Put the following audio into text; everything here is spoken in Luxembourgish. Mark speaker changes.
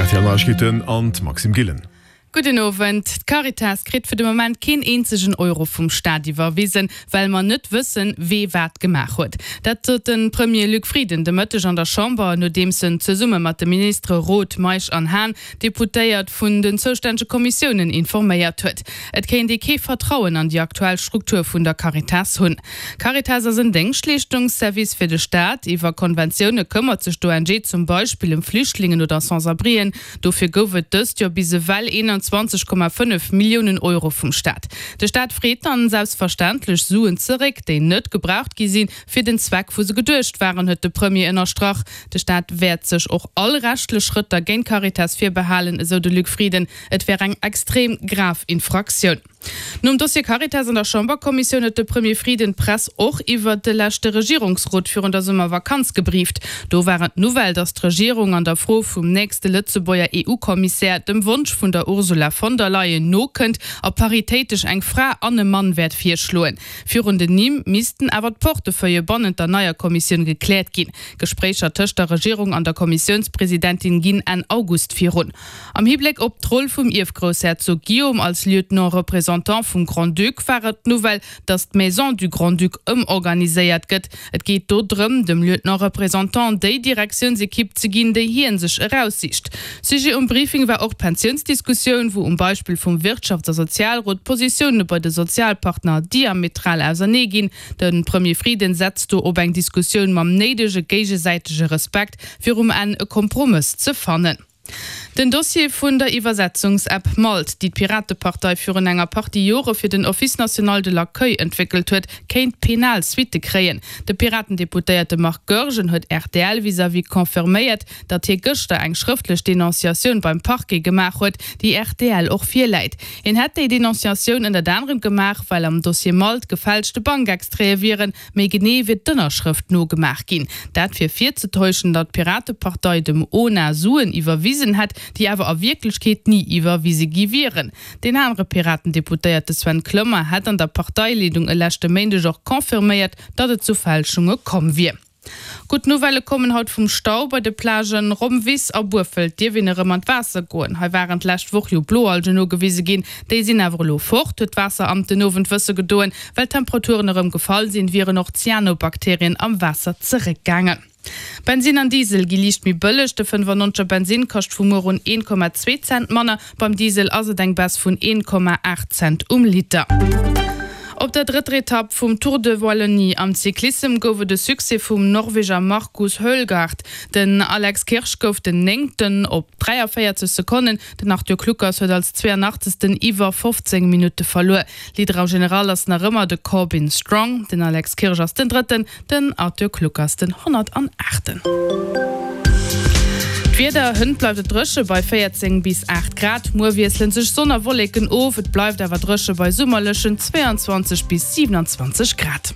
Speaker 1: RTL Neiegkeeten an d'Maxime Gillen.
Speaker 2: Gudden Owend. D'Caritas kritt fir de Moment keen eenzegen Euro vum Staat iwwerwisen, well mer net wëssen, wee wat gemaach huet. Dat sot de Premier Luc Frieden de Mëtteg an der Chamber, nodeems en zesumme mat de Ministere Roth, Meisch an Hahn d'Deputéiert vun den zoustännege Kommissiounen informéiert huet. Et kéint ee kee Vertrauen an déi aktuell Struktur vun der Caritas hunn. Caritas ass en Déngschtleeschtungsservice fir de Staat. Iwwer Konventioune këmmert sech d'ONG zum Beispill ëm Flüchtlingen oder Sans-abrien. Dofir gouf et dëst Joer bis ewell 21,5 Milliounen Euro vum Staat. De Staat freet dann selbstverständlech Suen zeréck, déi net gebraucht gi sinn, fir den Zweck wou se geduecht waren, huet de Premier ënnerstrach. De Staat wäert sech och all rechtlech Schrëtter géint d'Caritas virbehalen, esou de Luc Frieden. Et wär eng extrem grav Infraktioun. Nom Dossier Caritas an der Chamberkommissioun huet de Premier Frieden d'Press och iwwert de leschte Regierungsrot virun der Summervakanz gebrieft. Do war et d'Nouvelle, datt d'Regierung an der Fro vum nächste Lëtzebuerger EU-Kommissär dem Wonsch vun der Ursula von der Leyen nokënnt a paritéitesch eng Fra an e Mann wäert virschloen. Virun den Nimm missten awer d'Portefeuillë bannent der neier Kommissioun gekläert ginn. Gespréicher tëscht der Regierung an der Kommissiounspresidentin ginn Enn August virun. Am Hibléck op d'Roll vum Ierfgroussherzog Guillaume als Lieutenant-représentant vum Grand-Duc war et d'Nouvelle, datt d'Maison du Grand-Duc ëmorganiséiert gëtt. Et geet do drëm, dem Lieutenant-représentant déi Direktiounsekipp ze ginn, déi hien sech eraussicht. Sujet um Briefing war och d'Pensiounsdiskussioun, wou um Beispill vum Wirtschafts a Sozialrot d'Positioune bei de Sozialpartner diametral ausernee ginn. De Premier Frieden setzt do op eng Diskussioun mam néidege géigesäitege Respekt, fir um Enn e Kompromëss ze fannen. Den Dossier vun der Iwwersetzungsapp Malt, déi d'Piratepartei virun enger Partie Jore fir den Office national de l'accueil entwéckelt huet, kéint penal Suitte kréien. De Piratendeputéierte Marc Goergen huet rtl vis-à-vis confirméiert, datt hie gëschter eng schrëftlech Denonciatioun beim Parquet gemaach huet, déi rtl och virläit. Hien hätt déi Denonciatioun ënnert anerem gemaach, well am Dossier Malt gefälschte Bankextraite wieren, Méi genee wier d'Ënnerschrëft nogemaach ginn. Dat fir virzetäuschen, datt d'Piratepartei dem ona Suen iwwerwisen hätt, déi awer a Wierklechkeet ni iwwerwise gi wieren. Deen anere Piraten-Deputéierte Sven Clement hätt an der Parteileedung e leschte Méindeg och confirméiert, datt et zu Fälschunge komm wier. Gutt Nouvellë kommen haut vum Stau bei de Plagen Rommwiss a Burfelt dierf een erëm an d'Waasser goen. Hei waren d'lescht Woch jo Bloalgen nogewise ginn. Déi sinn awer elo fort, huet d'Waasseramt den Owend wësse gedoen. Well d'Temperaturen erëm gefall sinn, wieren och d'Cyanobakterien am Waasser zeréckgaangen. Bensinn an Diesel gi liicht méi bëlleg. De 95er Bensinn kascht vu muer un 1,2 Cent manner. Beim Diesel ass et eng Baisse vun 1,8 Cent um Liter. Op der drëtter Etapp vum Tour de Wallonie am Cyclissem gouf et e Succès vum Norweger Markus Hoelgaard. Den Alex Kirsch gouf den Néngten op 43 Sekonnen. Den Arthur Kluckers huet als 82. Iwwer 15 Minutte verluer. Leader am General ass nach ëmmer de Corbin Strong. Den Alex Kirsch ass den Drëtten, den Arthur Kluckers den 108. D'Wieder, Hënt bleift et dréche bei 14 bis 8 Grad. Muer wiessele sech Sonn a Wolleken of, et bleift awer dréche bei summerlechen 22 bis 27 Grad.